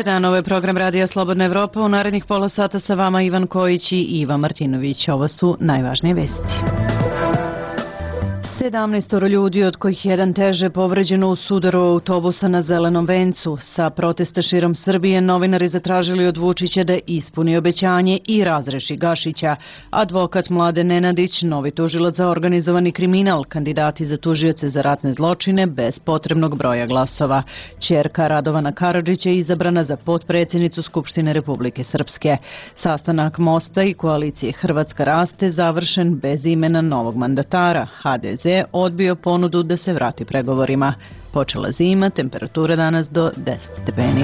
Dobar dan, ovo je program Radija Slobodna Evropa. U narednih pola sata sa vama Ivan Kojić i Iva Martinović. Ovo su najvažnije vesti. 17 ljudi, od kojih jedan teže, povređeno u sudaru autobusa na Zelenom vencu. Sa protesta širom Srbije novinari zatražili od Vučića da ispuni obećanje i razreši Gašića. Advokat Mladen Nenadić, novi tužilac za organizovani kriminal, kandidati za tužioce za ratne zločine bez potrebnog broja glasova. Ćerka Radovana Karadžića je izabrana za potpredsjednicu Skupštine Republike Srpske. Sastanak Mosta i koalicije Hrvatska raste završen bez imena novog mandatara. HDZ odbio ponudu da se vrati pregovorima. Počela zima, temperatura danas do 10 stepeni.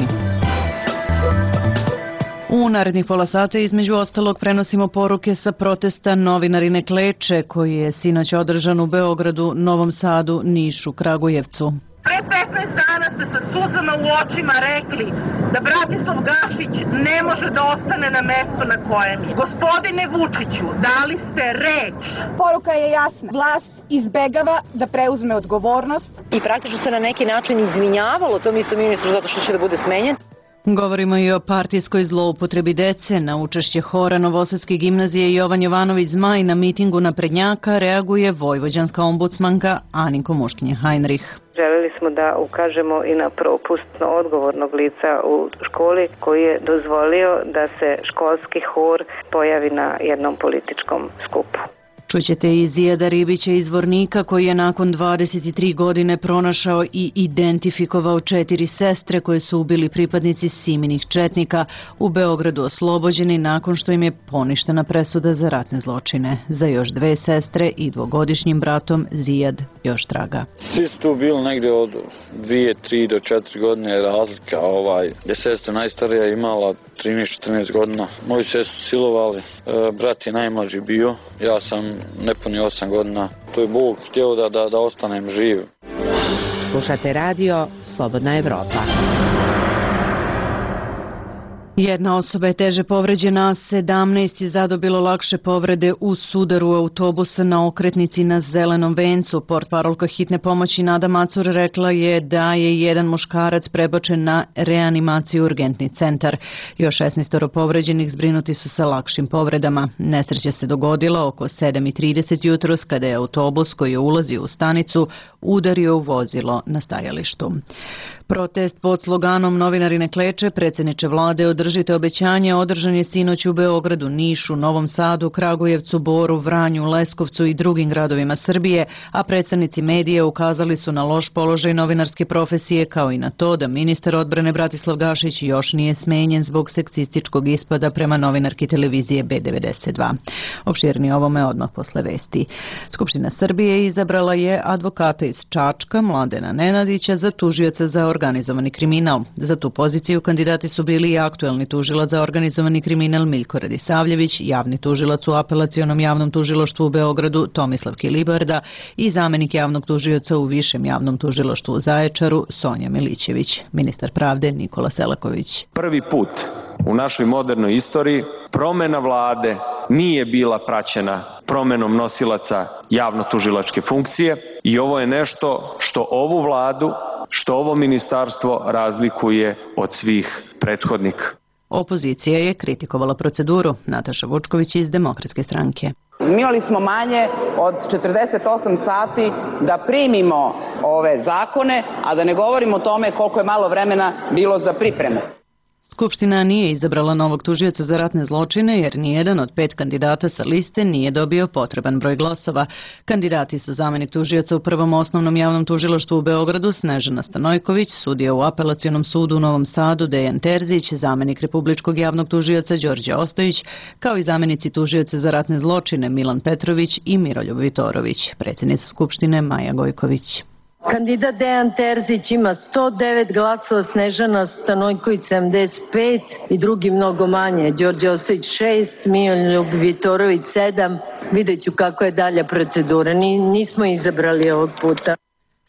U narednih pola sata između ostalog prenosimo poruke sa protesta Novinari ne kleče, koji je sinoć održan u Beogradu, Novom Sadu, Nišu, Kragujevcu. Pre 15 dana ste sa suzama u očima rekli da Bratislav Gašić ne može da ostane na mestu na kojem je. Gospodine Vučiću, dali ste reč. Poruka je jasna. Vlast izbegava da preuzme odgovornost. I praktično se na neki način izvinjavalo tom istom ministru zato što će da bude smenjen. Govorimo i o partijskoj zloupotrebi dece. Na učešće hora Novosadske gimnazije Jovan Jovanović Zmaj na mitingu naprednjaka reaguje vojvođanska ombudsmanka Aninko Muškinje-Heinrich. Želeli smo da ukažemo i na propust odgovornog lica u školi koji je dozvolio da se školski hor pojavi na jednom političkom skupu. Čućete i Zijada Ribića iz Vornika, koji je nakon 23 godine pronašao i identifikovao 4 sestre koje su ubili pripadnici Siminih četnika, u Beogradu oslobođeni nakon što im je poništena presuda za ratne zločine. Za još 2 sestre i 2-godišnjim bratom Zijad još traga. Svi su tu bili negdje od 2, 3 do 4 godine razlika. Je sestra najstarija imala 13-14 godina. Moju sestru silovali, brat je najmlađi bio, ja sam nepuni 8 godina. To je Bog htio da ostanem živ. Slušate radio Slobodna Evropa. Jedna osoba je teže povređena, 17 je zadobilo lakše povrede u sudaru autobusa na okretnici na Zelenom vencu. Portparolka hitne pomoći Nada Macur rekla je da je jedan muškarac prebačen na reanimaciju u urgentni centar. Još 16 povređenih zbrinuti su sa lakšim povredama. Nesreća se dogodila oko 7:30 jutros kada je autobus koji je ulazio u stanicu udario u vozilo na stajalištu. Protest pod sloganom Novinari ne kleče, predsjedniče vlade održite obećanje, održan je sinoć u Beogradu, Nišu, Novom Sadu, Kragujevcu, Boru, Vranju, Leskovcu i drugim gradovima Srbije, a predstavnici medija ukazali su na loš položaj novinarske profesije kao i na to da ministar odbrane Bratislav Gašić još nije smenjen zbog seksističkog ispada prema novinarki televizije B92. Opširnije ovome odmah posle vesti. Skupština Srbije izabrala je advokata iz Čačka, Mladena Nenadića, za tužioca za organizovani kriminal. Za tu poziciju kandidati su bili i aktuelni tužilac za organizovani kriminal Miljko Radisavljević, javni tužilac u apelacionom javnom tužilaštvu u Beogradu Tomislav Kilibarda i zamenik javnog tužioca u Višem javnom tužilaštvu u Zaječaru Sonja Milićević. Ministar pravde Nikola Selaković. Prvi put u našoj modernoj istoriji promjena vlade nije bila praćena promjenom nosilaca javno-tužilačke funkcije i ovo je nešto što ovu vladu, što ovo ministarstvo razlikuje od svih prethodnika. Opozicija je kritikovala proceduru. Nataša Vučković iz Demokratske stranke. Imali smo manje od 48 sati da primimo ove zakone, a da ne govorimo o tome koliko je malo vremena bilo za pripremu. Skupština nije izabrala novog tužioca za ratne zločine jer nijedan od 5 kandidata sa liste nije dobio potreban broj glasova. Kandidati su zamenik tužioca u Prvom osnovnom javnom tužilaštvu u Beogradu Snežana Stanojković, sudija u Apelacionom sudu u Novom Sadu Dejan Terzić, zamenik republičkog javnog tužioca Đorđe Ostojić, kao i zamenici tužioca za ratne zločine Milan Petrović i Miroljub Vitorović. Predsjednica Skupštine Maja Gojković. Kandidat Dejan Terzić ima 109 glasova, Snežana Stanojković 75 i drugi mnogo manje. Đorđe Ostojić 6, Miroljub Vitorović 7. Vidjet ću kako je dalja procedura. Nismo izabrali ovog puta.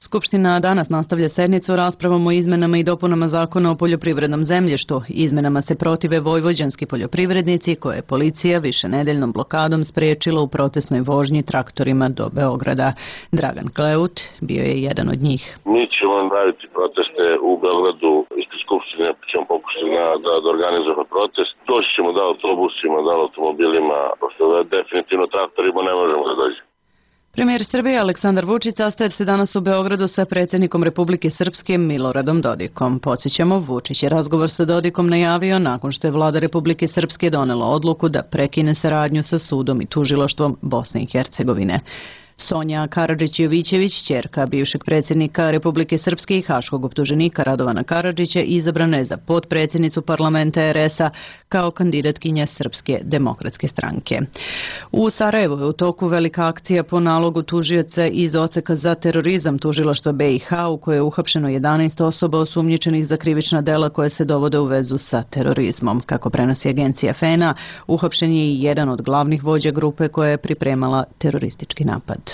Skupština danas nastavlja sednicu raspravom o izmenama i dopunama zakona o poljoprivrednom zemljištu. Izmenama se protive vojvođanski poljoprivrednici koje je policija višenedeljnom blokadom spriječila u protestnoj vožnji traktorima do Beograda. Dragan Kleut bio je jedan od njih. Mi ćemo raditi proteste u Beogradu, ispred Skupštine ćemo pokušati da organizujemo protest. Doći ćemo da autobusima, da automobilima, pošto definitivno traktorima ne možemo da dođemo. Premijer Srbije Aleksandar Vučić sastaje se danas u Beogradu sa predsjednikom Republike Srpske Miloradom Dodikom. Podsjećamo, Vučić je razgovor sa Dodikom najavio nakon što je vlada Republike Srpske donela odluku da prekine saradnju sa sudom i tužilaštvom Bosne i Hercegovine. Sonja Karadžić-Jovićević, ćerka bivšeg predsjednika Republike Srpske i haškog optuženika Radovana Karadžića, izabrana je za potpredsjednicu parlamenta RS-a kao kandidatkinja Srpske demokratske stranke. U Sarajevu je u toku velika akcija po nalogu tužioca iz odseka za terorizam tužilaštva BiH u kojoj je uhapšeno 11 osoba osumnjičenih za krivična dela koje se dovode u vezu sa terorizmom. Kako prenosi agencija FENA, uhapšen je i jedan od glavnih vođa grupe koja je pripremala teroristički napad.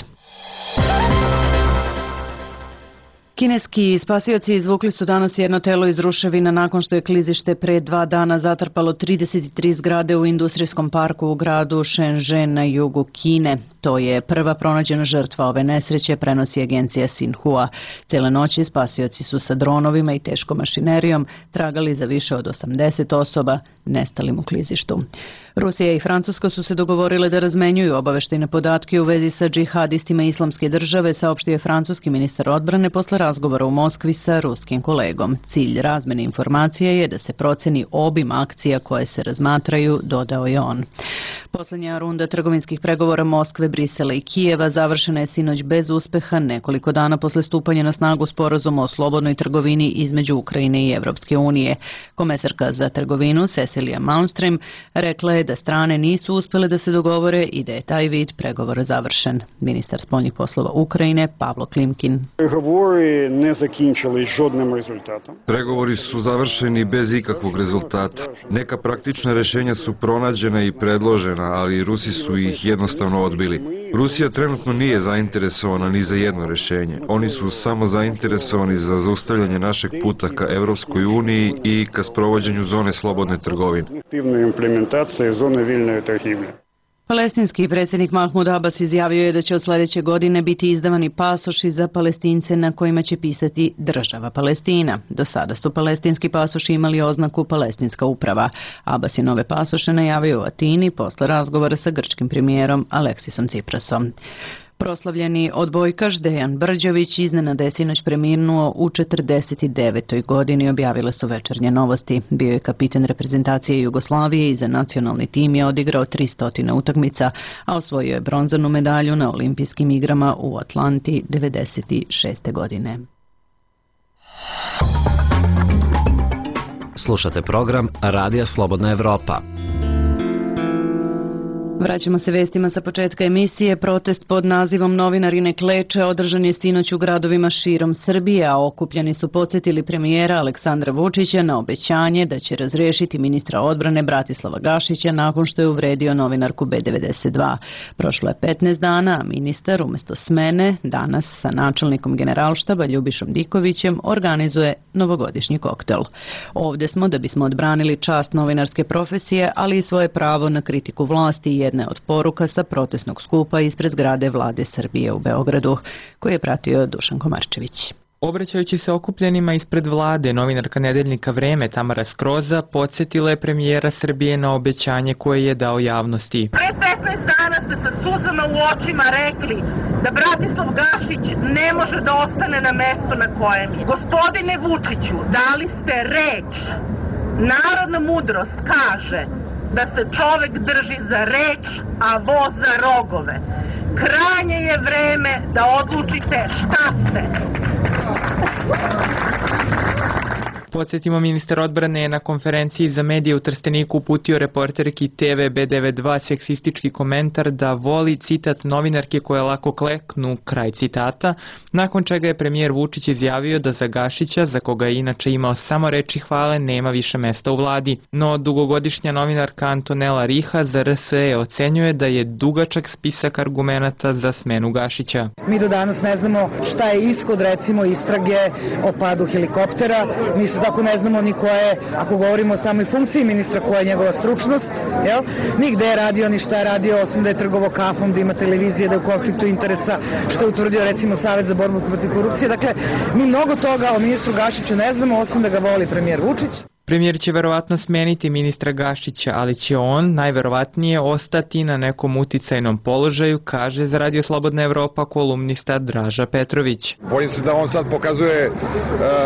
Kineski spasioci izvukli su danas jedno telo iz ruševina nakon što je klizište pre 2 dana zatrpalo 33 zgrade u industrijskom parku u gradu Shenzhen na jugu Kine. To je prva pronađena žrtva ove nesreće, prenosi agencija Xinhua. Cijele noći spasioci su sa dronovima i teškom mašinerijom tragali za više od 80 osoba nestalim u klizištu. Rusija i Francuska su se dogovorile da razmenjuju obaveštajne podatke u vezi sa džihadistima Islamske države, saopštio je francuski ministar odbrane posle razgovora u Moskvi sa ruskim kolegom. Cilj razmene informacija je da se proceni obim akcija koje se razmatraju, dodao je on. Poslednja runda trgovinskih pregovora Moskve, Brisela i Kijeva završena je sinoć bez uspeha nekoliko dana posle stupanja na snagu sporazuma o slobodnoj trgovini između Ukrajine i Evropske unije. Komesarka za trgovinu Cecilia Malmström rekla je da strane nisu uspjele da se dogovore i da je taj vid pregovora završen. Ministar spoljnih poslova Ukrajine Pavlo Klimkin. Pregovori su završeni bez ikakvog rezultata. Neka praktična rješenja su pronađena i predložena, ali Rusi su ih jednostavno odbili. Rusija trenutno nije zainteresovana ni za jedno rješenje. Oni su samo zainteresovani za zaustavljanje našeg puta ka Evropskoj uniji i ka sprovođenju zone slobodne trgovine. Palestinski predsjednik Mahmud Abbas izjavio je da će od sljedeće godine biti izdavani pasoši za Palestince na kojima će pisati Država Palestina. Do sada su palestinski pasoši imali oznaku Palestinska uprava. Abbas je nove pasoše najavio u Atini posle razgovora sa grčkim premijerom Aleksisom Tsiprasom. Proslavljeni odbojkaš Dejan Brđović iznenada je sinoć preminuo u 49. godini, objavile su Večernje novosti. Bio je kapitan reprezentacije Jugoslavije i za nacionalni tim je odigrao 300 utakmica, a osvojio je bronzanu medalju na olimpijskim igrama u Atlanti 96. godine. Slušate program Radija Slobodna Evropa. Vraćamo se vestima sa početka emisije. Protest pod nazivom Novinari ne kleče održan je sinoć u gradovima širom Srbije, a okupljeni su podsjetili premijera Aleksandra Vučića na obećanje da će razrešiti ministra odbrane Bratislava Gašića nakon što je uvredio novinarku B92. Prošlo je 15 dana, a ministar umjesto smene danas sa načelnikom generalštaba Ljubišom Dikovićem organizuje novogodišnji koktel. Ovdje smo da bismo odbranili čast novinarske profesije, ali i svoje pravo na kritiku vlasti i jedna od poruka sa protestnog skupa ispred zgrade Vlade Srbije u Beogradu, koji je pratio Dušan Komarčević. Obraćajući se okupljenima ispred vlade, novinarka nedeljnika Vreme Tamara Skroza podsjetila je premijera Srbije na obećanje koje je dao javnosti. Pre 15 dana ste sa suzama u očima rekli da Bratislav Gašić ne može da ostane na mestu na kojem je. Gospodine Vučiću, dali ste reč. Narodna mudrost kaže da se čovek drži za reč, a voz za rogove. Krajnje je vreme da odlučite šta ste. Podsjetimo, ministar odbrane je na konferenciji za medije u Trsteniku uputio reporterki TV B92 seksistički komentar da voli, citat, novinarke koje lako kleknu, kraj citata, nakon čega je premijer Vučić izjavio da za Gašića, za koga je inače imao samo reči hvale, nema više mesta u vladi. No dugogodišnja novinarka Antonela Riha za RSE ocenjuje da je dugačak spisak argumenata za smenu Gašića. Mi do danas ne znamo šta je ishod, recimo, istrage o padu helikoptera. Mi su tako ne znamo ni koja je, ako govorimo o samoj funkciji ministra, koja je njegova stručnost, ni gde je radio, ni šta je radio, osim da je trgovao kafom, da ima televizije, da je u konfliktu interesa, što je utvrdio recimo Savet za borbu protiv korupcije. Dakle, mi mnogo toga o ministru Gašiću ne znamo, osim da ga voli premijer Vučić. Premijer će verovatno smeniti ministra Gašića, ali će on najverovatnije ostati na nekom uticajnom položaju, kaže za Radio Slobodna Evropa kolumnista Draža Petrović. Bojim se da on sad pokazuje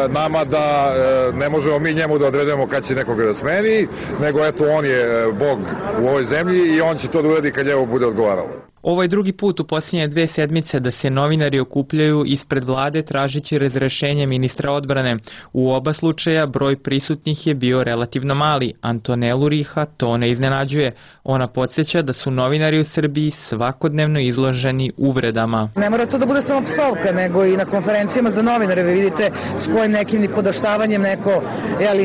nama da ne možemo mi njemu da odredemo kad će nekoga da smeni, nego eto on je bog u ovoj zemlji i on će to da uradi kad njemu bude odgovaralo. Ovo je drugi put u posljednje 2 sedmice da se novinari okupljaju ispred vlade tražići razrešenje ministra odbrane. U oba slučaja broj prisutnih je bio relativno mali. Antonelu Riha to ne iznenađuje. Ona podsjeća da su novinari u Srbiji svakodnevno izloženi uvredama. Ne mora to da bude samo psovka, nego i na konferencijama za novinare vi vidite s kojim nekim nipodaštavanjem neko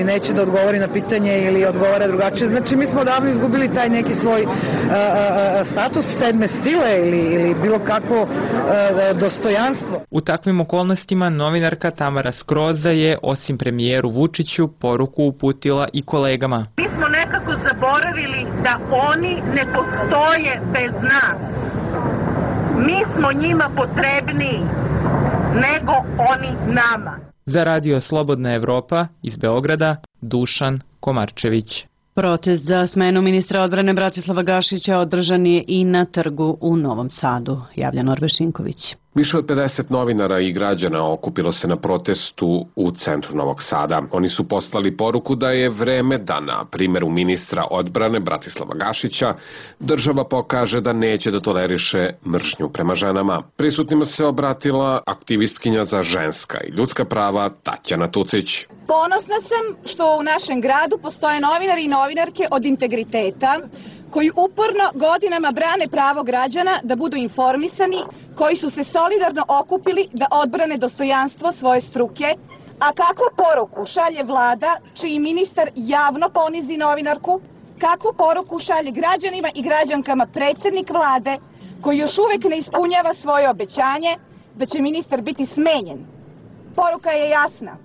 neće da odgovori na pitanje ili odgovara drugačije. Znači mi smo odavno izgubili taj neki svoj status sedme stile ili bilo kakvo dostojanstvo. U takvim okolnostima novinarka Tamara Skroza je, osim premijeru Vučiću, poruku uputila i kolegama. Mi smo nekako zaboravili da oni ne postoje bez nas. Mi smo njima potrebniji nego oni nama. Za Radio Slobodna Evropa iz Beograda, Dušan Komarčević. Protest za smenu ministra odbrane Bratislava Gašića održan je i na trgu u Novom Sadu, javlja Norbe Šinković. Više od 50 novinara i građana okupilo se na protestu u centru Novog Sada. Oni su poslali poruku da je vreme da na primjeru ministra odbrane Bratislava Gašića država pokaže da neće da toleriše mržnju prema ženama. Prisutnima se obratila aktivistkinja za ženska i ljudska prava Tatjana Tucić. Ponosna sam što u našem gradu postoje novinari i novinarke od integriteta koji uporno godinama brane pravo građana da budu informisani, koji su se solidarno okupili da odbrane dostojanstvo svoje struke, a kakvu poruku šalje vlada čiji ministar javno ponizi novinarku, kakvu poruku šalje građanima i građankama predsjednik vlade koji još uvijek ne ispunjava svoje obećanje da će ministar biti smenjen. Poruka je jasna.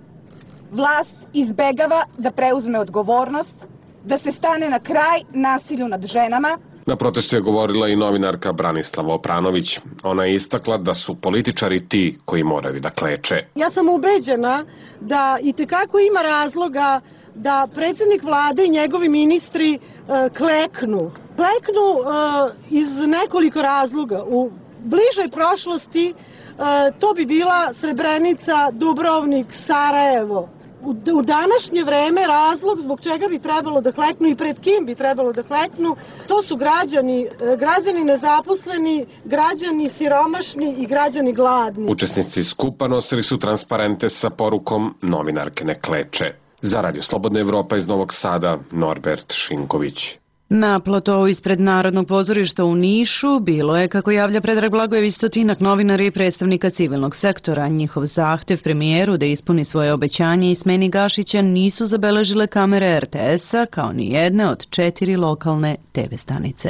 Vlast izbegava da preuzme odgovornost, da se stane na kraj nasilju nad ženama. Na protestu je govorila i novinarka Branislava Opranović. Ona je istakla da su političari ti koji moraju da kleče. Ja sam ubeđena da itekako ima razloga da predsjednik vlade i njegovi ministri kleknu. Kleknu iz nekoliko razloga. U bližoj prošlosti to bi bila Srebrenica, Dubrovnik, Sarajevo. U današnje vreme razlog zbog čega bi trebalo da kleknu i pred kim bi trebalo da kleknu, to su građani nezaposleni, građani siromašni i građani gladni. Učesnici skupa nosili su transparente sa porukom novinarke ne kleče. Za Radio Slobodna Evropa iz Novog Sada, Norbert Šinković. Na platovu ispred Narodnog pozorišta u Nišu bilo je, kako javlja Predrag Blagojević, 100 novinara i predstavnika civilnog sektora. Njihov zahtev premijeru da ispuni svoje obećanje i smeni Gašića nisu zabeležile kamere RTS-a kao ni jedne od 4 lokalne TV stanice.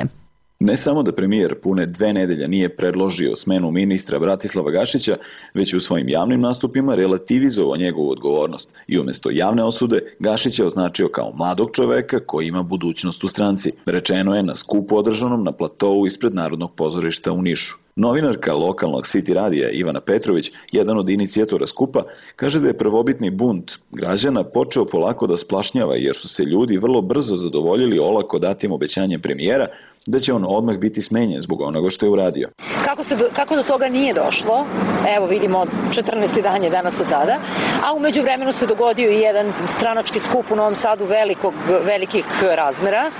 Ne samo da premijer pune 2 nedelje nije predložio smenu ministra Bratislava Gašića, već u svojim javnim nastupima relativizovao njegovu odgovornost i umjesto javne osude Gašić je označio kao mladog čoveka koji ima budućnost u stranci. Rečeno je na skupu održanom na platovu ispred Narodnog pozorišta u Nišu. Novinarka lokalnog City radija Ivana Petrović, jedan od inicijatora skupa, kaže da je prvobitni bunt građana počeo polako da splašnjava jer su se ljudi vrlo brzo zadovoljili olako datim obećanjem premijera da će on odmah biti smenjen zbog onoga što je uradio. Kako do toga nije došlo? Evo vidimo 14. dan je danas od tada, a u međuvremenu se dogodio i jedan stranački skup u Novom Sadu velikih razmera,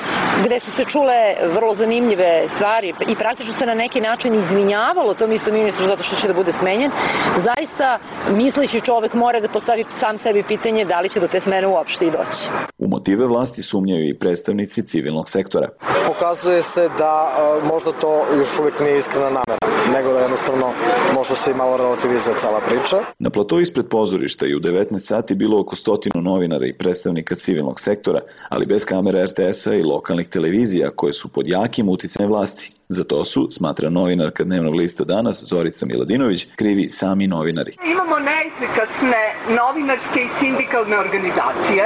gde su se čule vrlo zanimljive stvari i praktično se na neki način izvinjavalo tom istom ministru zato što će da bude smenjen. Zaista misleći čovek mora da postavi sam sebi pitanje da li će do te smene uopšte i doći. U motive vlasti sumnjaju i predstavnici civilnog sektora. Pokazuje se da možda to još uvijek nije iskrena namera, nego da jednostavno možda se i malo relativizuje cela priča. Na platovu ispred pozorišta i u 19 sati bilo oko 100 novinara i predstavnika civilnog sektora, ali bez kamera RTS-a i lokalnih televizija koje su pod jakim uticajem vlasti. Za to su, smatra novinarka Dnevnog lista Danas Zorica Miladinović, krivi sami novinari. Imamo neefikasne novinarske i sindikalne organizacije,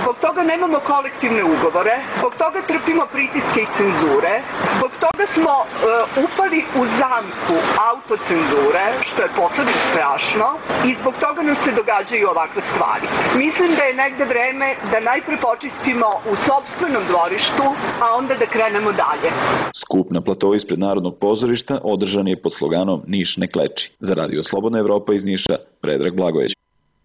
zbog toga nemamo kolektivne ugovore, zbog toga trpimo pritiske i cenzure, zbog toga smo upali u zamku autocenzure, što je posebno strašno, i zbog toga nam se događaju ovakve stvari. Mislim da je negde vreme da najpre počistimo u sopstvenom dvorištu, a onda da krenemo dalje. Skup na platovu ispred Narodnog pozorišta održan je pod sloganom Niš ne kleči. Za Radio Slobodna Evropa iz Niša, Predrag Blagojević.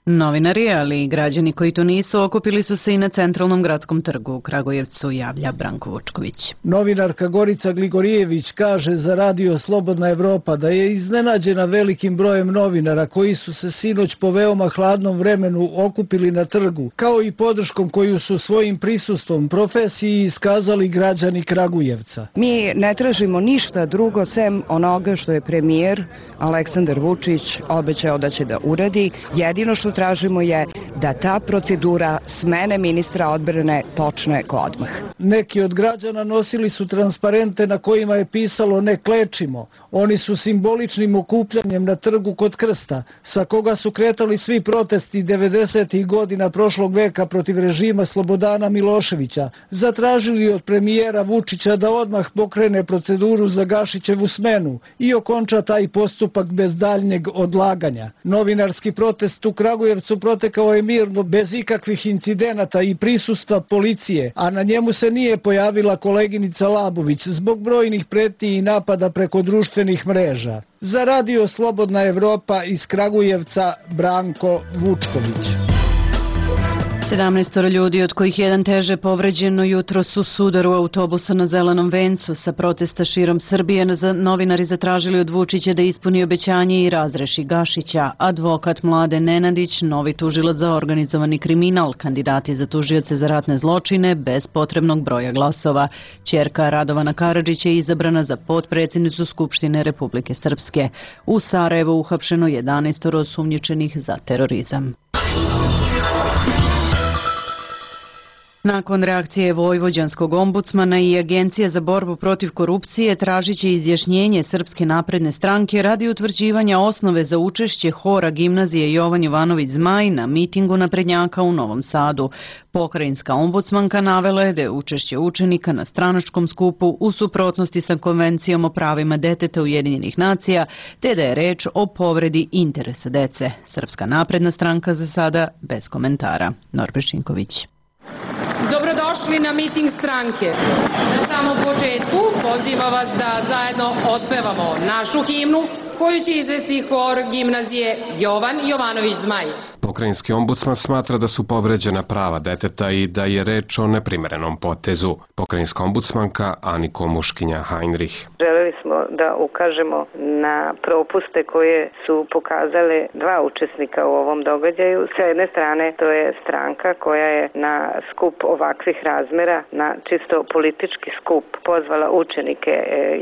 Novinari, ali i građani koji to nisu, okupili su se i na centralnom gradskom trgu u Kragujevcu, javlja Branko Vučković. Novinarka Gorica Gligorijević kaže za Radio Slobodna Evropa da je iznenađena velikim brojem novinara koji su se sinoć po veoma hladnom vremenu okupili na trgu, kao i podrškom koju su svojim prisustvom profesiji iskazali građani Kragujevca. Mi ne tražimo ništa drugo sem onoga što je premijer Aleksandar Vučić obećao da će da uradi. Jedino što tražimo je da ta procedura smene ministra odbrane počne odmah. Neki od građana nosili su transparente na kojima je pisalo ne klečimo. Oni su simboličnim okupljanjem na trgu kod Krsta, sa koga su kretali svi protesti 90. godina prošlog veka protiv režima Slobodana Miloševića, zatražili od premijera Vučića da odmah pokrene proceduru za Gašićevu smenu i okonča taj postupak bez daljnjeg odlaganja. Novinarski protest u Kragujevcu protekao je mirno, bez ikakvih incidenata i prisustva policije, a na njemu se nije pojavila koleginica Labović zbog brojnih pretnji i napada preko društvenih mreža. Za Radio Slobodna Evropa iz Kragujevca, Branko Vučković. 17 ljudi, od kojih jedan teže povređeno, jutros u sudaru autobusa na Zelenom vencu. Sa protesta širom Srbije novinari zatražili od Vučića da ispuni obećanje i razreši Gašića. Advokat Mlade Nenadić, novi tužilac za organizovani kriminal, kandidati za tužioce za ratne zločine bez potrebnog broja glasova. Ćerka Radovana Karadžića je izabrana za potpredsjednicu Skupštine Republike Srpske. U Sarajevu uhapšeno 11 osumnjičenih za terorizam. Nakon reakcije vojvođanskog ombudsmana i Agencije za borbu protiv korupcije tražiće izjašnjenje Srpske napredne stranke radi utvrđivanja osnove za učešće hora gimnazije Jovan Jovanović Zmaj na mitingu naprednjaka u Novom Sadu. Pokrajinska ombudsmanka navela je da je učešće učenika na stranačkom skupu u suprotnosti sa Konvencijom o pravima deteta Ujedinjenih nacija, te da je reč o povredi interesa dece. Srpska napredna stranka za sada bez komentara. Norbert Šinković. Dobrodošli na miting stranke. Na samom početku pozivam vas da zajedno otpevamo našu himnu koju će izvesti hor gimnazije Jovan Jovanović Zmaj. Pokrajinski ombudsman smatra da su povređena prava deteta i da je reč o neprimerenom potezu. Pokrajinska ombudsmanka Aniko Muškinja-Heinrich. Želeli smo da ukažemo na propuste koje su pokazale dva učesnika u ovom događaju. Sa jedne strane to je stranka koja je na skup ovakvih razmera, na čisto politički skup, pozvala učenike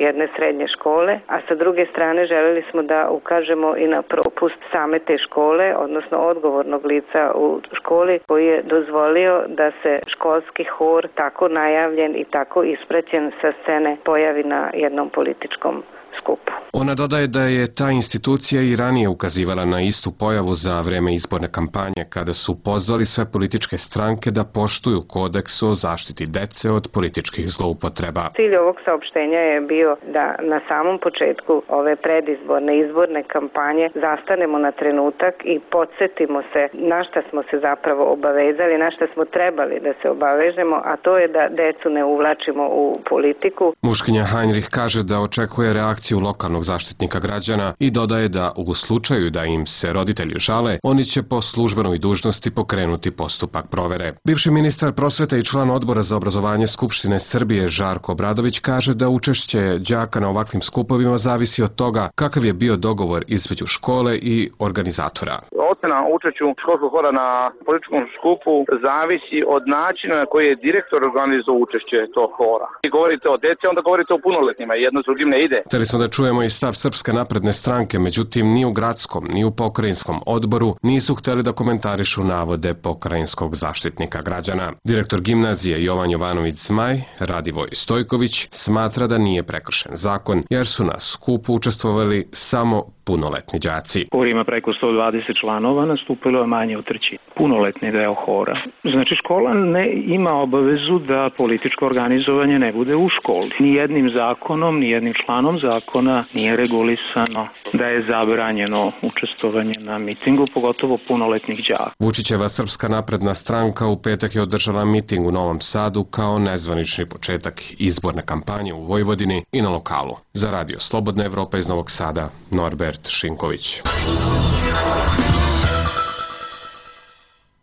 jedne srednje škole, a sa druge strane želeli smo da ukažemo i na propust same te škole, odnosno odgovornog lica u školi koji je dozvolio da se školski hor tako najavljen i tako ispraćen sa scene pojavi na jednom političkom skupu. Ona dodaje da je ta institucija i ranije ukazivala na istu pojavu za vreme izborne kampanje, kada su pozvali sve političke stranke da poštuju kodeks o zaštiti dece od političkih zloupotreba. Cilj ovog saopštenja je bio da na samom početku ove predizborne izborne kampanje zastanemo na trenutak i podsjetimo se na šta smo se zapravo obavezali, na šta smo trebali da se obavežemo, a to je da decu ne uvlačimo u politiku. Muškinja-Heinrich kaže da očekuje reakciju lokalnog zaštitnika građana i dodaje da u slučaju da im se roditelji žale, oni će po službenoj dužnosti pokrenuti postupak provere. Bivši ministar prosvete i član odbora za obrazovanje Skupštine Srbije Žarko Obradović kaže da učešće đaka na ovakvim skupovima zavisi od toga kakav je bio dogovor između škole i organizatora. Ocena o učešću školskog hora na političkom skupu zavisi od načina na koji je direktor organizovao učešće tog hora. I govorite o deci, onda govorite o punoletnima, jedno s drugim ne ide. Hteli smo da čujemo i stav Srpske napredne stranke, međutim ni u gradskom, ni u pokrajinskom odboru nisu hteli da komentarišu navode pokrajinskog zaštitnika građana. Direktor gimnazije Jovan Jovanović Zmaj, Radivoj Stojković, smatra da nije prekršen zakon, jer su na skupu učestvovali samo punoletni đaci. Hor ima preko 120 članova, nastupa bilo je manje od trećine. Punoletni deo hora. Znači škola ne ima obavezu da političko organizovanje ne bude u školi. Nijednim zakonom, nijednim članom zakona nije regulisano da je zabranjeno učestvovanje na mitingu, pogotovo punoletnih đaka. Vučićeva Srpska napredna stranka u petak je održala miting u Novom Sadu kao nezvanični početak izborne kampanje u Vojvodini i na lokalu. Za Radio Slobodna Evropa iz Novog Sada, Norbert Šinković.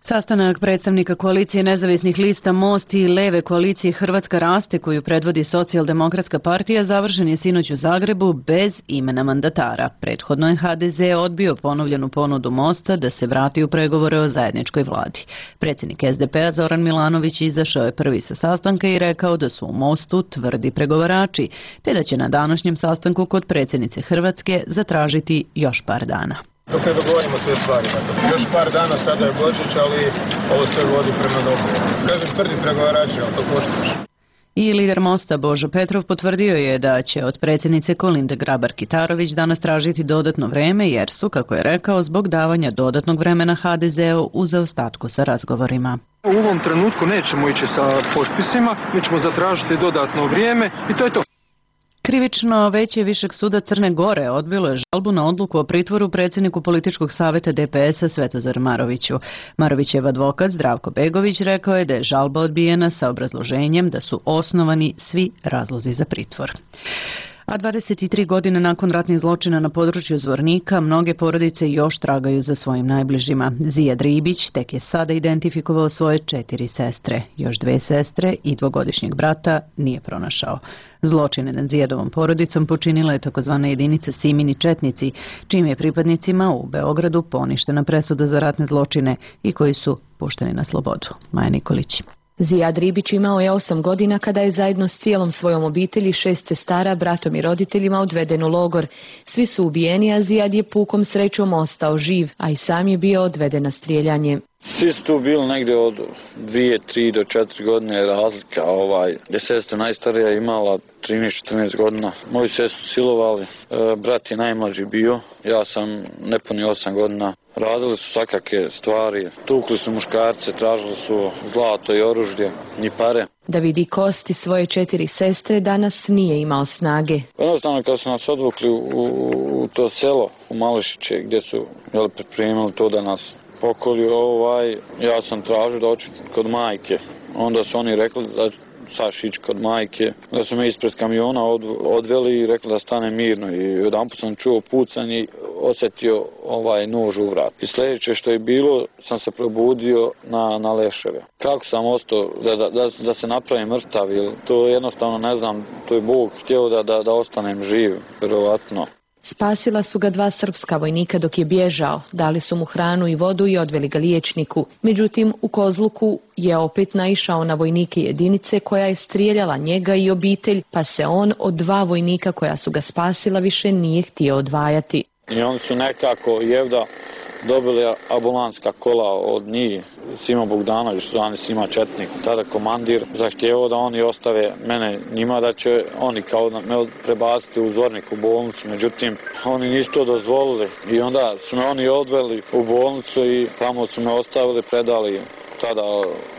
Sastanak predstavnika koalicije nezavisnih lista Most i Leve koalicije Hrvatska raste, koju predvodi Socijaldemokratska partija, završen je sinoć u Zagrebu bez imena mandatara. Prethodno je HDZ odbio ponovljenu ponudu Mosta da se vrati u pregovore o zajedničkoj vladi. Predsjednik SDP-a Zoran Milanović izašao je prvi sa sastanka i rekao da su u Mostu tvrdi pregovarači, te da će na današnjem sastanku kod predsjednice Hrvatske zatražiti još par dana. Dok ne dogovorimo sve stvari. Još par dana, sada je Božić, ali ovo sve vodi prema dogovoru. Kažem, tvrdi pregovarači, ali to koštaš. I lider Mosta Božo Petrov potvrdio je da će od predsjednice Kolinde Grabar-Kitarović danas tražiti dodatno vreme, jer su, kako je rekao, zbog davanja dodatnog vremena HDZ-u u zaostatku sa razgovorima. U ovom trenutku nećemo ići sa potpisima, mi ćemo zatražiti dodatno vrijeme i to je to. Krivično veće Višeg suda Crne Gore odbilo je žalbu na odluku o pritvoru predsjedniku političkog savjeta DPS-a Svetozaru Maroviću. Marovićev advokat Zdravko Begović rekao je da je žalba odbijena sa obrazloženjem da su osnovani svi razlozi za pritvor. A 23 godine nakon ratnih zločina na području Zvornika, mnoge porodice još tragaju za svojim najbližima. Zijad Ribić tek je sada identifikovao svoje 4 sestre. Još 2 sestre i 2-godišnjeg brata nije pronašao. Zločine nad Zijadovom porodicom počinila je takozvana jedinica Simini četnici, čim je pripadnicima u Beogradu poništena presuda za ratne zločine i koji su pušteni na slobodu. Maja Nikolić. Zijad Ribić imao je 8 godina kada je zajedno s cijelom svojom obitelji, 6 sestara, bratom i roditeljima odveden u logor. Svi su ubijeni, a Zijad je pukom srećom ostao živ, a i sam je bio odveden na strijeljanje. Svi su tu bili negdje od 2, 3 do 4 godine razlika. Gdje sestra najstarija imala 13-14 godina. Moji se su silovali, brat je najmlađi bio, ja sam nepuni 8 godina. Radili su svakake stvari, tukli su muškarce, tražili su zlato i oružje, ni pare. Da vidi kosti svoje 4 sestre, danas nije imao snage. Jednostavno kad su nas odvukli u to selo, u Mališiće, gdje su pripremili to da nas pokolju, ja sam tražio da hoću kod majke. Onda su oni rekli da saš ići kod majke, da su me ispred kamiona odveli i rekli da stane mirno. I jedanput sam čuo pucanje i osjetio nož u vrat. I sljedeće što je bilo, sam se probudio na leševe. Kako sam ostao da se napravim mrtav, to jednostavno ne znam, to je Bog htio da ostanem živ, vjerovatno. Spasila su ga 2 srpska vojnika dok je bježao, dali su mu hranu i vodu i odveli ga liječniku. Međutim, u Kozluku je opet naišao na vojnike jedinice koja je strijeljala njega i obitelj, pa se on od 2 vojnika koja su ga spasila više nije htio odvajati. I oni su nekako jevda dobili ambulanska kola od njih, Sima Bogdanović, zvani Sima Četnik, tada komandir, zahtjevao da oni ostave mene njima, da će oni kao me prebaciti u Zvornik u bolnicu, međutim oni nisu to dozvolili i onda su me oni odveli u bolnicu i tamo su me ostavili, predali tada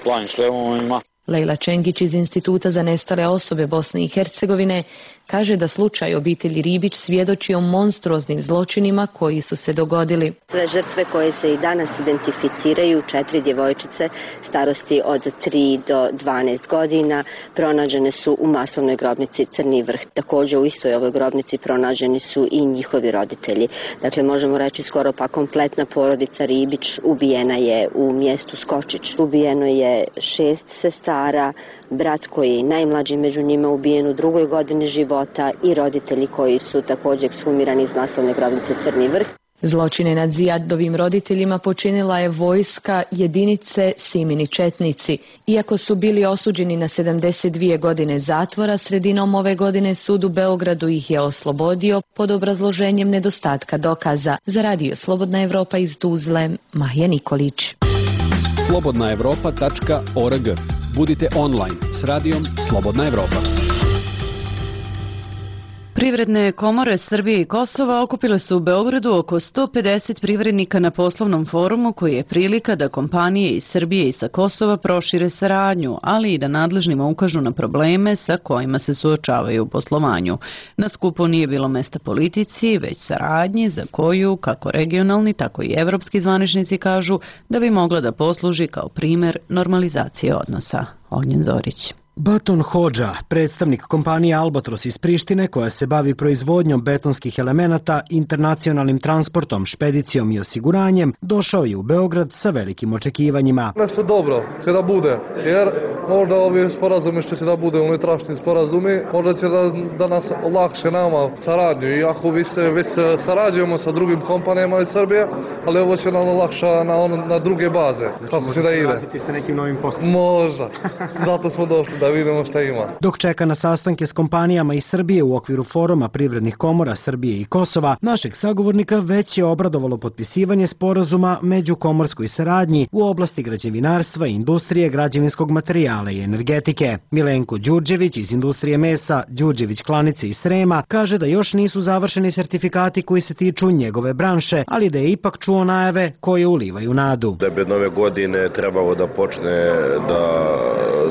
Planim Šlemovima. Lejla Čengić iz Instituta za nestale osobe Bosne i Hercegovine kaže da slučaj obitelji Ribić svjedoči o monstruoznim zločinima koji su se dogodili. Sve žrtve koje se i danas identificiraju, 4 djevojčice starosti od 3 do 12 godina, pronađene su u masovnoj grobnici Crni Vrh. Također u istoj ovoj grobnici pronađeni su i njihovi roditelji. Dakle, možemo reći skoro pa kompletna porodica Ribić ubijena je u mjestu Skočić. Ubijeno je 6 sestara, brat koji je najmlađi među njima ubijen u 2. godini života i roditelji koji su također ekshumirani iz masovne grobnice Crni Vrh. Zločine nad Zijadovim roditeljima počinila je vojska jedinice Simini četnici. Iako su bili osuđeni na 72 godine zatvora, sredinom ove godine sud u Beogradu ih je oslobodio pod obrazloženjem nedostatka dokaza. Za Radio Slobodna Evropa iz Tuzle, Maja Nikolić. slobodnaevropa.org. Budite online s radijom Slobodna Evropa. Privredne komore Srbije i Kosova okupile su u Beogradu oko 150 privrednika na poslovnom forumu koji je prilika da kompanije iz Srbije i sa Kosova prošire saradnju, ali i da nadležnima ukažu na probleme sa kojima se suočavaju u poslovanju. Na skupu nije bilo mesta politici, već saradnji za koju, kako regionalni, tako i evropski zvaničnici kažu, da bi mogla da posluži kao primer normalizacije odnosa. Ognjen Zorić. Baton Hodža, predstavnik kompanije Albatros iz Prištine koja se bavi proizvodnjom betonskih elemenata, internacionalnim transportom, špedicijom i osiguranjem, došao je u Beograd sa velikim očekivanjima. Nešto dobro će da bude, jer možda ovi sporazumi što će da bude unutrašnji sporazumi, možda će da nas olakše nama saradnju, iako već sarađujemo sa drugim kompanijama iz Srbije, ali ovo će nam olakša na druge baze. Kako će da ide? Vratiti se nekim novim poslom. Možda, zato smo došli da vidimo šta ima. Dok čeka na sastanke s kompanijama iz Srbije u okviru foruma privrednih komora Srbije i Kosova, našeg sagovornika već je obradovalo potpisivanje sporazuma među komorskoj saradnji u oblasti građevinarstva i industrije građevinskog materijala i energetike. Milenko Đurđević iz industrije mesa, Đurđević klanice iz Srema, kaže da još nisu završeni sertifikati koji se tiču njegove branše, ali da je ipak čuo najave koje ulivaju nadu. Da bi od nove godine trebalo da počne da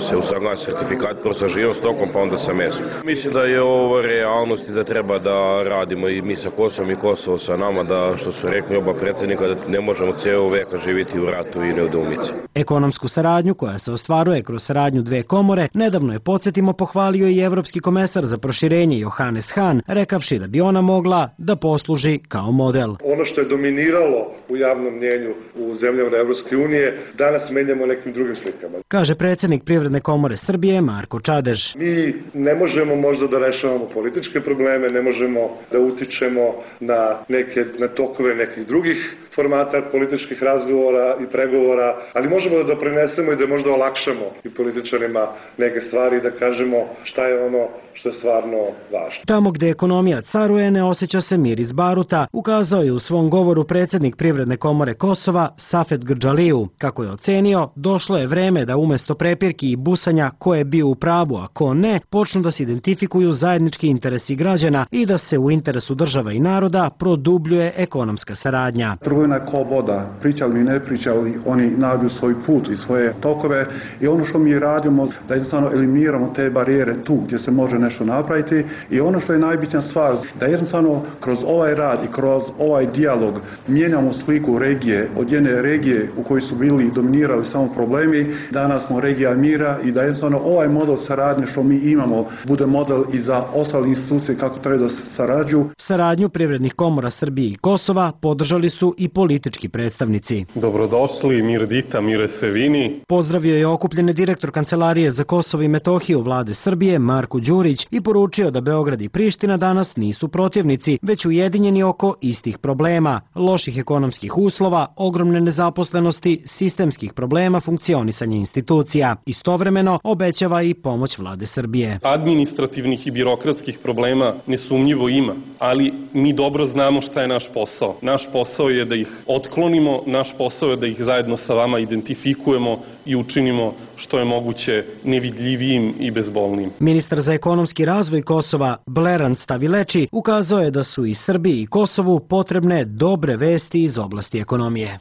se usaglasi sertifikat prvo sa živom stokom, pa onda sa mesom. Mislim da je ovo realnost i da treba da radimo i mi sa Kosovom i Kosovo sa nama, da što su rekli oba predsjednika, da ne možemo cijelo veka živjeti u ratu i nedoumici. Ekonomsku saradnju koja se ostvaruje kroz saradnju dve komore, nedavno je, podsjetimo, pohvalio i evropski komesar za proširenje Johannes Hahn, rekavši da bi ona mogla da posluži kao model. Ono što je dominiralo u javnom mnjenju u zemljama Evropske unije, danas menjamo nekim drugim slikama. Kaže predsjednik Privredne komore Srbije Marko Čadež. Mi ne možemo možda da rešavamo političke probleme, ne možemo da utičemo na tokove nekih drugih formata političkih razgovora i pregovora, ali možemo da doprinesemo i da možda olakšamo i političarima neke stvari i da kažemo šta je ono što je stvarno važno. Tamo gde ekonomija caruje ne osjeća se mir iz baruta, ukazao je u svom govoru predsjednik Privredne komore Kosova Safet Grdžaliju. Kako je ocenio, došlo je vreme da umesto prepirki i busanja ko je bio u pravu, a ko ne, počnu da se identifikuju zajednički interesi građana i da se u interesu država i naroda produbljuje ekonomska saradnja. Trgovina je kao voda, pričali mi ne pričali, oni nađu svoj put i svoje tokove i ono što mi radimo da jednostavno eliminiramo te barijere tu gdje se može nešto napraviti i ono što je najbitnija stvar, da jednostavno kroz ovaj rad i kroz ovaj dijalog mijenjamo sliku regije, od jedne regije u kojoj su bili dominirali samo problemi, danas smo regija mira i da jednostavno ovaj model saradnje što mi imamo bude model i za ostale institucije kako treba da sarađuju. Saradnju privrednih komora Srbije i Kosova podržali su i politički predstavnici. Dobrodošli, mir dita, mire se vini. Pozdravio je okupljene direktor Kancelarije za Kosovo i Metohiju vlade Srbije Marko Đurić i poručio da Beograd i Priština danas nisu protivnici, već ujedinjeni oko istih problema, loših ekonomskih uslova, ogromne nezaposlenosti, sistemskih problema funkcionisanja institucija. Istovremeno obećava i pomoć vlade Srbije. Administrativnih i birokratskih problema nesumnjivo ima, ali mi dobro znamo šta je naš posao. Naš posao je da ih otklonimo, naš posao je da ih zajedno sa vama identifikujemo i učinimo što je moguće nevidljivijim i bezbolnim. Ministar za ekonomski razvoj Kosova Bleran Stavileči ukazao je da su i Srbiji i Kosovu potrebne dobre vesti iz oblasti ekonomije.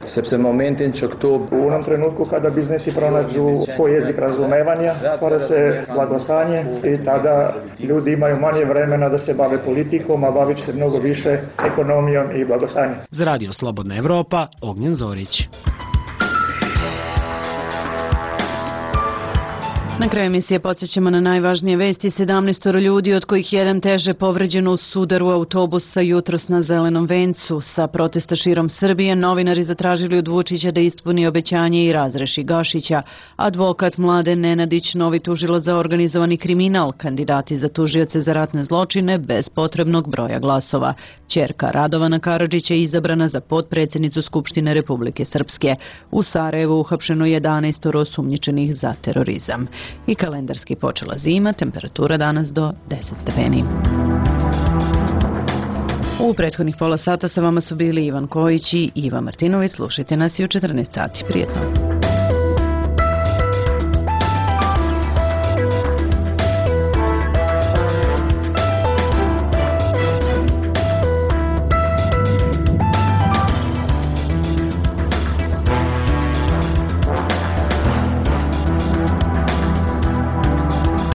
U onom trenutku kada biznesi pronađu svoj jezik razumevanja, stvara se blagostanje i tada ljudi imaju manje vremena da se bave politikom, a bavit će se mnogo više ekonomijom i blagostanjem. Za Radio Slobodna Evropa, Ognjen Zorić. Na kraju emisije podsjećamo na najvažnije vesti. 17 ljudi, od kojih jedan teže povređeno u sudaru autobusa jutros na Zelenom vencu. Sa protesta širom Srbije novinari zatražili od Vučića da ispuni obećanje i razreši Gašića. Advokat Mladen Nenadić, novi tužilac za organizovani kriminal, kandidati za tužioce za ratne zločine bez potrebnog broja glasova. Ćerka Radovana Karadžića je izabrana za potpredsjednicu Skupštine Republike Srpske. U Sarajevu uhapšeno 11 osumnjičenih za terorizam. I kalendarski počela zima, temperatura danas do 10 stepeni. U prethodnih pola sata sa vama su bili Ivan Kojić i Iva Martinović. Slušajte nas i u 14 sati. Prijetno.